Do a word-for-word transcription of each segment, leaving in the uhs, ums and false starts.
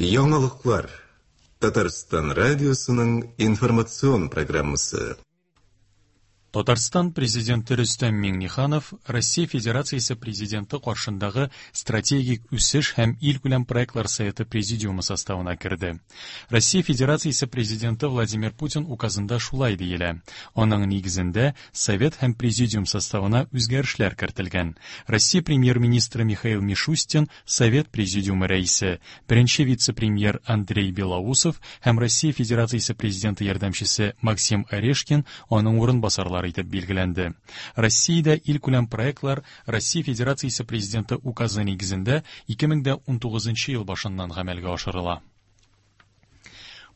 Яңалыклар. Татарстан радиосының информацион программасы. Татарстан Президенты Рөстәм Миңнеханов Россия Федерациясе Президенты каршындагы Стратегик үсеш һәм илкүләм проектлар советы президиумы составына керде. Россия Федерациясе Президенты Владимир Путин указында шулай диелә. Аның нигезендә совет һәм президиум составына үзгәрешләр кертелгән. Россия премьер-министры Михаил Мишустин совет президиумы рәисе, беренче вице-премьер Андрей Белоусов һәм Россия Федерациясе Президенты ярдәмчесе Максим Орешкин аның урынбасарлары итеп билгеләнде. Россиядә илкүләм проектлар Россия Федерациясе Президенты указы нигезендә ике мең дә унтугызынчы ел башыннан гамәлгә ашырыла.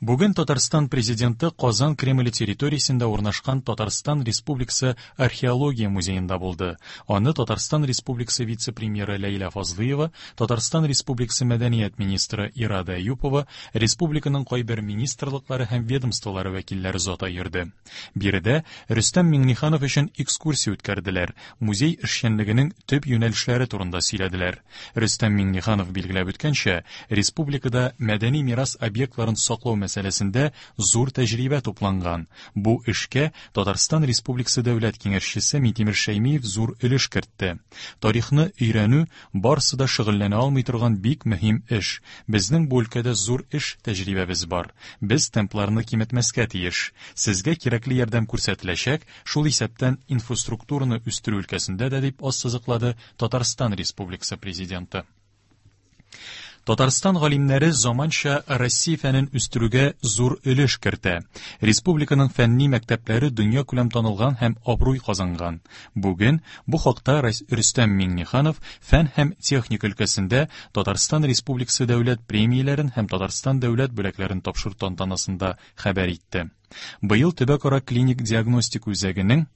Бүген Татарстан Президенты Казан Кремле территориясендә урнашкан Татарстан Республикасы Археология музеенда булды. Аны Татарстан Республикасы вице-премьеры Ләйлә Фазлыева, Татарстан Республикасы мәдәният министры Ирада Әюпова, республиканың кайбер министрлыклары һәм ведомстволары вәкилләре озата йөрде. Биредә Рөстәм Миңнеханов өчен экскурсия үткәрделәр, музей эшчәнлегенең төп юнәлешләре турында сөйләделәр. Рөстәм Миңнеханов билгеләп үткәнчә, республикада мәдәни мирас объектларын саклау мәсьәләсендә зур тәҗрибә тупланган. Бу эшкә Татарстан Республикасы Дәүләт Киңәшчесе Минтимер Шәймиев зур өлеш кертте. Тарихны өйрәнү барысы да шөгыльләнә алмый торган бик мөһим эш. Безнең бу өлкәдә зур эш тәҗрибәбез бар. Без темпларны киметмәскә тиеш. Сезгә кирәкле ярдәм күрсәтеләчәк, шул исәптән инфраструктураны үстерү өлкәсендә дә, дип ассызыклады Татарстан Республикасы Президенты. Татарстан галимнәре заманча Россия фәнен үстерүгә зур өлеш кертә. Республиканың фәнни мәктәпләре дөнья күләм танылган һәм абруй казанган. Бүген бу хакта Рөстәм Миңнеханов фән һәм техника өлкәсендә Татарстан Республикасы дәүләт премияләрен һәм Татарстан дәүләт бүләкләрен тапшыру тантанасында хәбәр итте. Быел төбәкара клиник диагностика үзәгенең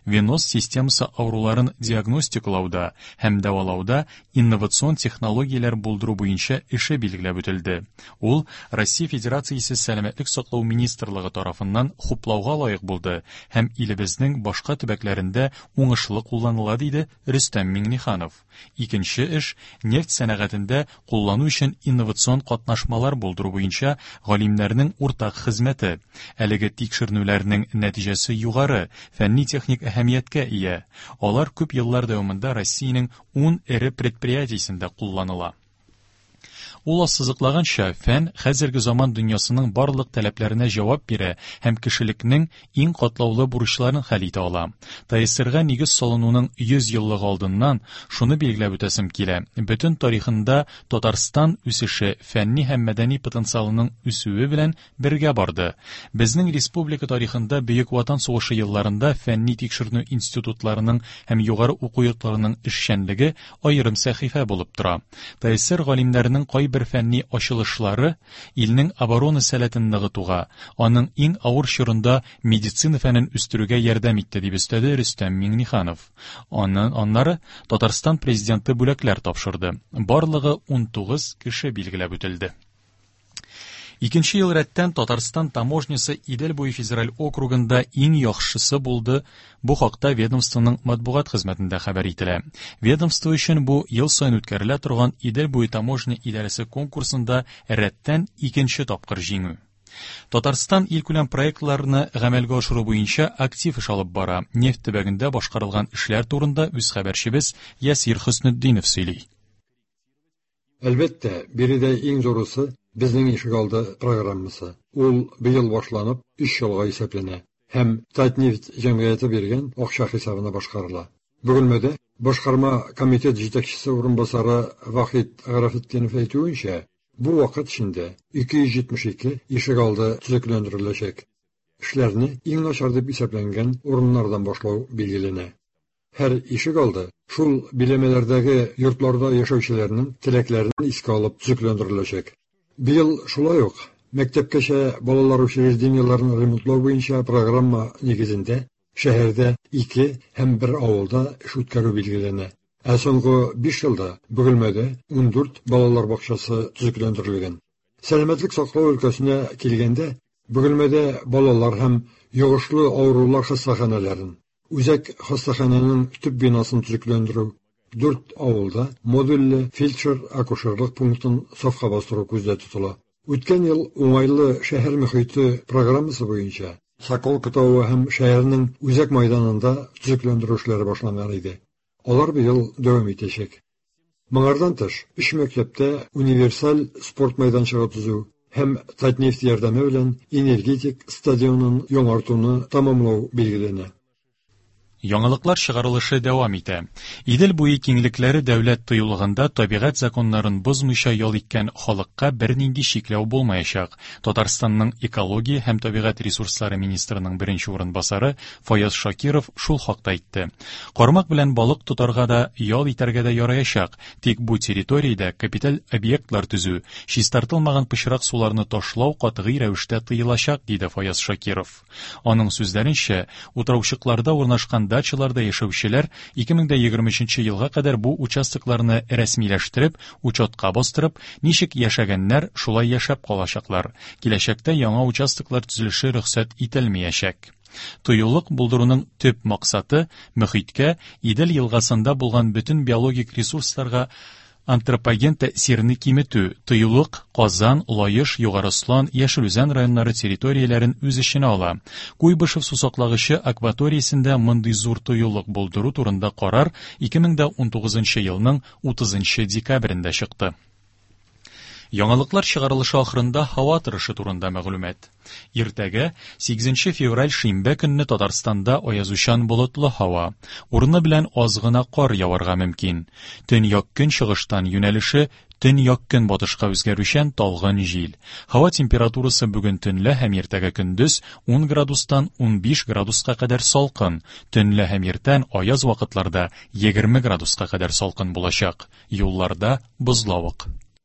веноз системасы авыруларын диагностикалауда һәм дәвалауда инновацион технологияләр булдыру буенча эше билгеләп үтелде. Ул Россия Федерациясе Сәламәтлек саклау министрлыгы тарафыннан хуплауга лаек булды һәм илебезнең башка төбәкләрендә уңышлы кулланыла, диде Рөстәм Миңнеханов. Икенче эш нефть сәнәгатендә куллану өчен инновацион катнашмалар булдыру буенча галимнәрнең уртак хезмәте. Әлеге тикшеренүләрнең нәтиҗәсе югары, фәнни техник әһәмияткә ия. Алар күп еллар дәвамында Россиянең ун эре предприятиесендә кулланыла. Ул ассызыклаганча, фән хәзерге заман дөньясының барлык таләпләренә җавап бирә һәм кешелекнең иң катлаулы бурычларын хәл итә ала. ТАССРга нигез салынуның йөз еллыгы алдыннан шуны билгеләп үтәсем килә. Бөтен тарихында Татарстан үсеше фәнни һәм мәдәни потенциалының үсүе белән бергә барды. Безнең республика тарихында Бөек Ватан сугышы елларында фәнни тикшеренү институтларының һәм югары уку йортларының эшчәнлеге аерым сәхифә булып тора. ТАССР галимнәренең кайбер бер фәнни ачылышлары илнең оборона сәләтен ныгытуга, аның иң авыр чорында медицина фәнен үстерүгә ярдәм итте, дип өстәде Рөстәм Миңнеханов. Аннан аннары Татарстан Президенты бүләкләр тапшырды. Барлыгы унтугыз кеше билгеләп үтелде. Икенче ел рәттән Татарстан таможнясы Идел буе федераль округында иң яхшысы булды. Бу хакта ведомствоның матбугат хезмәтендә хәбәр ителә. Ведомство өчен бу ел саен үткәрелә торган Идел буе таможня идарәсе конкурсында рәттән икенче тапкыр җиңү. Татарстан илкүләм проектларны гамәлгә ашыру буенча актив эш алып бара. Нефть төбәгендә башкарылган эшләр турында үз хәбәрчебез Ясир Хөснетдинов сөйли. Әлбәттә, биредә иң зурысы безнең ишегалды программасы. Ул быел башланып, өч елга исәпләнә һәм Татнефть җәмгыяте биргән акча хисабына башкарыла. Бөгелмәдә башкарма комитет җитәкчесе урынбасары Вахит Гарафетдинов әйтүенчә, бу вакыт эчендә ике йөз җитмеш ике ишегалды төзекләндереләчәк. Эшләрне иң начар дип исәпләнгән урыннардан башлау билгеләнә. Һәр ишегалды шул биләмәләрдәге йортларда яшәүчеләрнең теләкләрен искә алып төзекләндереләчәк. Быел шулай ук мәктәпкәчә балалар учреждениеләрен ремонтлау буенча программа нигезендә шәһәрдә ике һәм бер авылда эш үткәрү билгеләнә. Ә соңгы биш елда Бөгелмәдә ундүрт балалар бакчасы төзекләндерелгән. Сәламәтлек саклау өлкәсенә килгәндә, Бөгелмәдә балалар һәм йогышлы авырулар хастаханәләрен, үзәк хастаханәнең төп бинасын төзекләндерү, Дүрт авылда модульле фельдшер-акушерлык пунктын сафка бастыру күздә тотыла. Үткән ел уңайлы шәһәр мөхите программасы буенча Соколка тавы һәм шәһәрнең үзәк майданында төзекләндерү эшләре башланган иде. Алар быел дәвам итәчәк. Моңардан тыш, өч мәктәптә универсаль спорт мәйданчыгы төзү һәм Татнефть ярдәме белән энергетик стадионын яңартуны тәмамлау билгеләнә. Яңалыклар чыгарылышы дәвам итә. Идел буе киңлекләре дәүләт тыюлыгында табигать законнарын бозмыйча ял иткән халыкка бернинди чикләү булмаячак. Татарстанның экология һәм табигать ресурслары министрының беренче урынбасары Фаяз Шакиров шул хакта әйтте. Кармак белән балык тотарга да, ял итәргә дә яраячак. Тик бу территориядә капиталь объектлар төзү, чистартылмаган пычрак суларны ташлау катгый рәвештә тыелачак, диде Фаяз Шакиров. Аның сүзләренчә, утраучыкларда урнашкан дачаларда яшәүчеләр ике мең егерме өченче елга кадәр бу участокларны рәсмиләштереп, учетка бастырып, ничек яшәгәннәр, шулай яшәп калачаклар. Киләчәктә яңа участоклар төзелеше рөхсәт ителмәячәк. Тыюлык булдыруның төп максаты мөхиткә, Идел елгасында булган бөтен биологик ресурсларга антропоген тәэсирне киметү. Тыюлык Казан, Лаеш, Югары Ослан, Яшел Үзән районнары территорияләрен үз эченә ала. Куйбышев сусаклагычы акваториясендә мондый зур тыюлык булдыру турында карар ике мең унтугызынчы елның утызынчы декабрендә чыкты. Яңалыклар чыгарылышы ахырында һава торышы турында мәгълүмат. Иртәгә сигезенче февраль шимбә көнне Татарстанда аязучан болытлы һава. Урыны белән аз гына кар яварга мөмкин. Төньяк көнчыгыштан юнәлеше төньяк көнбатышка үзгәрүчән талгын җил. Һава температурасы бүген төнлә һәм иртәгә көндез ун градустан унбиш градуска кадәр салкын. Төнлә һәм иртән аяз вакытларда егерме градуска кадәр салкын булачак. Юлларда бозлавык.